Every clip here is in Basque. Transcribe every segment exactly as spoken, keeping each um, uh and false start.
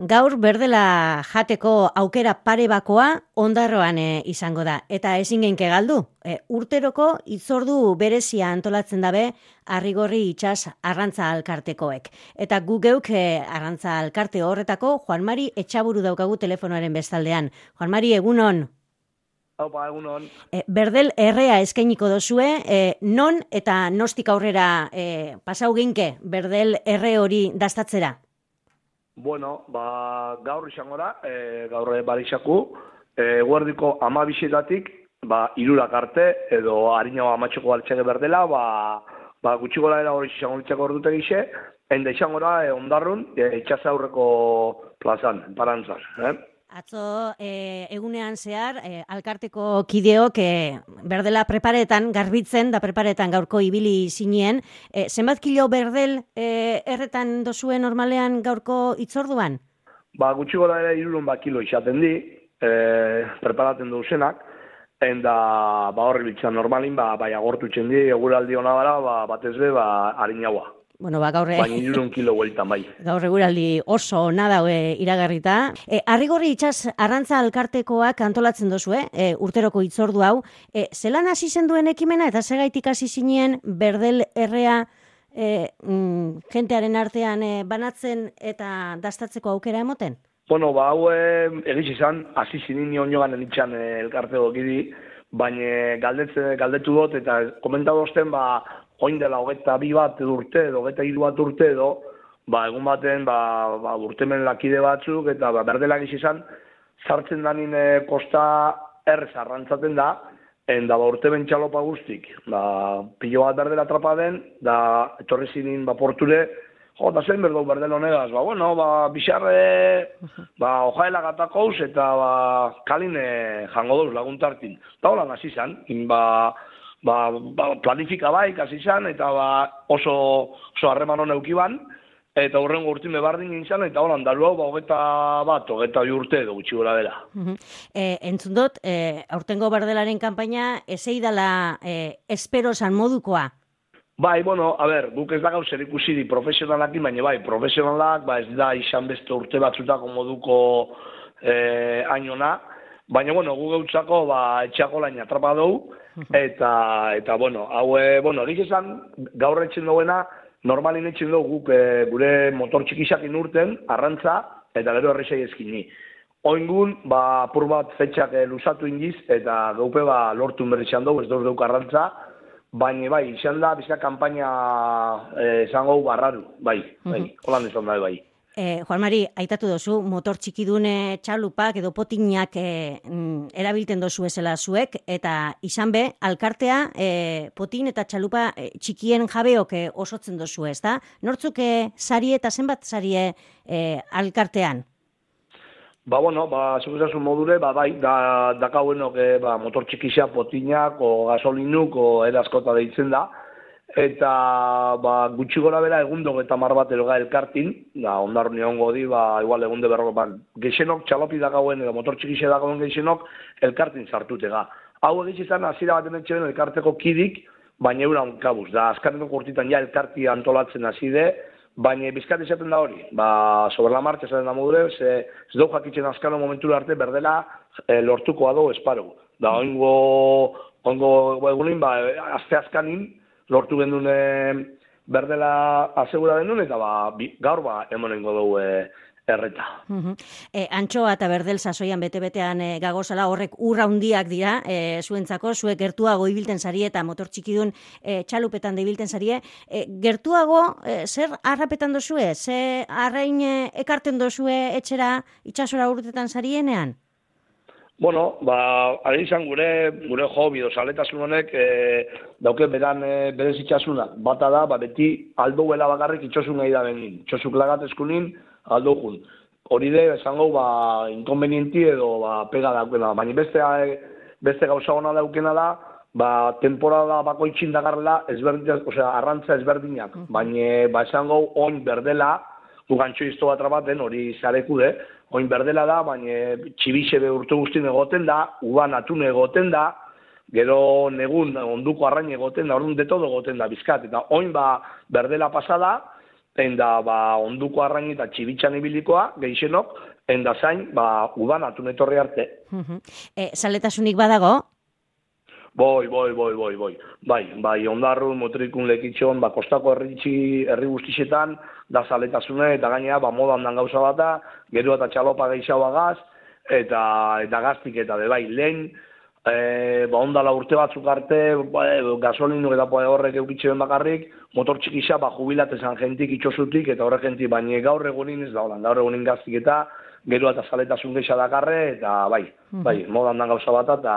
Gaur berdela jateko aukera pare bakoa Ondarroan e, izango da. Eta ezin genke galdu. E, urteroko itzordu berezia antolatzen dabe Arrigorri itsas arrantza alkartekoek. Eta gu geuk e, arrantza alkarte horretako Juan Mari Etxaburu daukagu telefonoaren bestaldean. Juan Mari, egunon. Haupa, egunon. E, berdel errea eskainiko dozue, e, non eta nostik aurrera e, pasau ginke berdel erre hori dastatzera? Bueno, ba, gaur izango da, e, gaur barixaku, e, guardiko amabixetatik, ba, irurak arte, edo harina amatxoko altxege berdela, ba, ba, gutxi gola era hori izango litzako ordute gixe, enda izango da, e, Ondarrun, e, itxas aurreko plazan, parantzaz, eh? Atzo e, egunean zehar, e, alkarteko kideok e, berdela preparetan, garbitzen da preparetan gaurko ibili zinien. E, zenbat kilo berdel e, erretan dozue normalean gaurko itzorduan? Ba, gutxi gola ere irurun ba kilo izaten di, e, preparaten duzenak, enda ba, horri bitzan normalin, ba, bai agortu txendi, eguraldi hona bara, ba, batez be, ba, harinaua. Bueno, ba, gaur, baina irurun kilo gueltan, bai. Gaur eguraldi oso ona daue iragarrita. E, Arrigorri itsas arrantza alkartekoak antolatzen dozu, e, urteroko itzordu hau. E, zelan hasi zen duen ekimena eta segaitik hasi zinien berdel errea e, mm, jentearen artean e, banatzen eta dastatzeko aukera emoten? Bueno, ba, hau egiz izan, hasi zinin nioan enitxan elkarteko gidi, baina galdetze, galdetu dut eta komentatu osten, ba, oin dela hogeta bi bat urte edo, hogeta hiru bat urte edo, ba, egun baten, ba, ba, urtemen lakide batzuk, eta ba, berdelak izan, sartzen danin e, kosta errez arrantzaten da, enda ba, urtemen txalopa guztik, ba, pilo bat berdela atrapa den, da, etorri zinin, ba, porture, jo, eta zein berdau berdel honegaz, ba, bueno, ba, bixarre, ba, ojaela gatakouz, eta, ba, kaline jango dauz laguntartin. Eta holan hasi zan, ba, Ba, ba, planifika bai, kasi izan, eta ba, oso, oso harreman hona eukiban, eta horrengo urtime bardin izan, eta holan dalu hau, ba, hogeta bat, hogeta bi urte edo gutxi gora dela. Uh-huh. e, entzun dut, e, aurtengo berdelaren kanpaina, ezei dela e, esperosan modukoa? Bai, bueno, a ber, guk ez da gau zer ikusi di profesionalakin, baina bai, profesionalak, ba, ez da izan beste urte batzutako moduko e, ainona, baina, bueno, gu gautzako, ba, etxako lain atrapa dugu, eta, eta, bueno, hau, e, bueno, egiz esan, gaur etxen duena, normalin etxen dugu guk e, gure motor txikisakin urten, arrantza, eta gero errexai eskini. Oingun, ba, apur bat fetxak e, luzatu indiz, eta gaupe, ba, lortu berrizan dugu, ez dut duk arrantza, baina, bai, izan da, bizka kampaina esango e, barraru, bai, bai, holan izan da, bai. E, Juan Mari, aitatu dozu, motor txikidune txalupak edo potinak e, erabilten dozu ezela zuek, eta izan be, alkartea e, potin eta txalupa e, txikien jabeok e, osotzen dozu, ez da? Nortzuk e, sarie eta zenbat sarie e, alkartean? Ba, bueno, ba, segurazun modure, ba, bai, da, dakauenok e, ba, motor txikisa potinak, o gasolinuk, o eraskota deitzen da, eta ba, gutxi gora bera egundo eta mar bat eroga elkartin, da, Ondarrun egongo di, ba, igual egunde berroko, ba, geixenok txalopi dakauen, edo motor txikixe dakauen geixenok, elkartin sartutega. Hau egiz izan, azira baten etxeben elkarteko kidik, baina euran kabuz, da, azkarren urtitan ja elkarti antolatzen azide, baina bizkat izaten da hori, ba, sobre la marcha esaten da modure, ze, ez dugu jakitzen azkano momentura arte berdela e, lortuko ado esparo. Da, oingo, oingo egunin, ba, azte azkanin, lortu gendun berdela asegura denun, eta ba, bi, gaur ba, emonengo dugu e, erreta. Uh-huh. e, Antxoa eta berdel sasoian bete-betean e, gagozala horrek urra hundiak dira, e, zuentzako, zuek gertuago ibilten zarie eta motor txikidun e, txalupetan da ibilten zarie. E, gertuago, e, zer harrapetan dozue? Ze arrain e, ekarten dozue etxera itxasora urtetan zarienean? Bueno, ba, ari izan gure, gure hobi, dozaletasun honek, e, dauke beran e, berez itxasuna. Bata da, ba, beti aldouela bakarrik itxosun nahi da benin. Itxosuk lagatezkunin, aldo jun. Hori de, esango, ba, inkonvenienti edo, ba, pega daukena. Baina beste, beste gauza hona daukena da, ba, temporada bako itxin dagarrela, ezberdinak, osea, arrantza ezberdinak. Baina, ba, esango, oin berdela, gugantxo izto bat rabaten, hori zarekude, oin berdela da, baina txibixe urte guztien egoten da, uban atun egoten da, gero negun onduko arrain egoten da, orduan de todo egoten da bizkat. Eta oin ba berdela pasada, enda ba, onduko arrain eta txibitxan ibilikoa, geixenok, enda zain, ba, udan atun etorri arte. E, saletasunik badago? Boi, boi, boi, boi, boi. Bai, bai, ondarru, motrikun lekitxon, ba, kostako herritxi, herri guztixetan, da zaletasune, eta gainea, ba, modan dan gauza bata, gero eta txalopa geixaua gaz, eta, eta gaztik eta de bai, lehen, e, ba, ondala urte batzuk arte, ba, gasolinu eta poe horrek eukitxe ben bakarrik, motor txikisa, ba, jubilatezan jentik itxosutik, eta horre jentik, baina gaur egunin ez da, holan, gaur egunin gaztik eta, gero eta zaletasun geixa dakarre, eta bai, bai, modan dan gauza bata, eta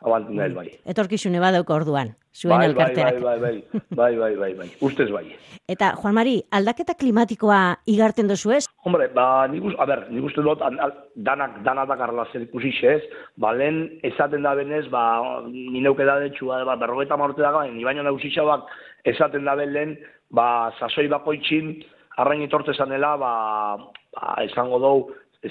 abantin da, bai. Etorkizune badauko orduan, zuen bai, elkarteak. Bai, bai, bai, bai, bai, bai, bai, ustez bai. Eta, Juan Mari, aldaketa klimatikoa igarten dozu ez? Hombre, ba, nik uste, a ber, nik uste dut, an, al, danak, danak dakarla zer ikusi ez, ba, lehen esaten da benez, ba, ni neuke da detxua, ba, berrogeta marrote dago, ni baino nausitxabak esaten da ben lehen, ba, sasoi bakoitxin, arrain etorte zanela, ba, ba, esango dou,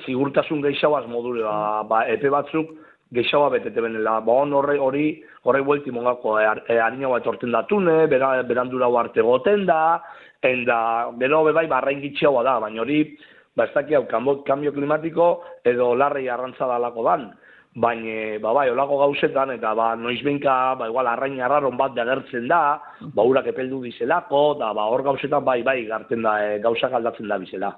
zigurtasun gehiagoaz module, ba, ba, epe batzuk, geixaua betete benela, ba, on horre hori, horre buelti mongako, e, e, harina bat etorten datune, bera, berandura arte goten da, enda, bero bebai, barrain gitxeagoa da, baina hori, ba, ez daki hau, kambio klimatiko, edo larrei arrantza dalako dan, baina, ba, bai, olako gauzetan, eta, ba, noizbenka, ba, igual, arrain arraron bat degertzen da, ba, urak epeldu dizelako, da, ba, hor gauzetan, bai, bai, garten da, e, gauzak aldatzen da bizela.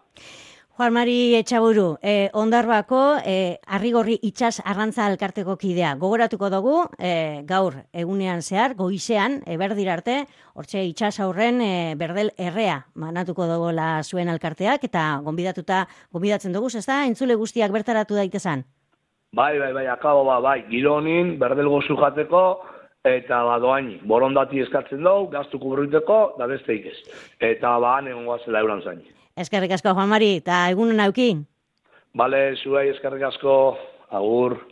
Juan Mari Etxaburu, eh, Ondarbako eh, Arrigorri Itsas Arrantza Elkarteko kidea. Gogoratuko dugu, eh, gaur egunean zehar, goizean, eberdir arte, hortxe itsas aurren eh, berdel errea manatuko dugola zuen elkarteak, eta gonbidatuta, gonbidatzen dugu, ez da, entzule guztiak bertaratu daitezan? Bai, bai, bai, akabo, ba, bai, gironin, berdel gozu jateko, eta ba, doaini, borondati eskatzen dugu, gaztu kubruiteko, da besteik ez. Eta ba, negon guazela euran zain. Eskerrik asko, Juan Mari, eta egunen auki. Bale, zuei eskerrik asko, agur.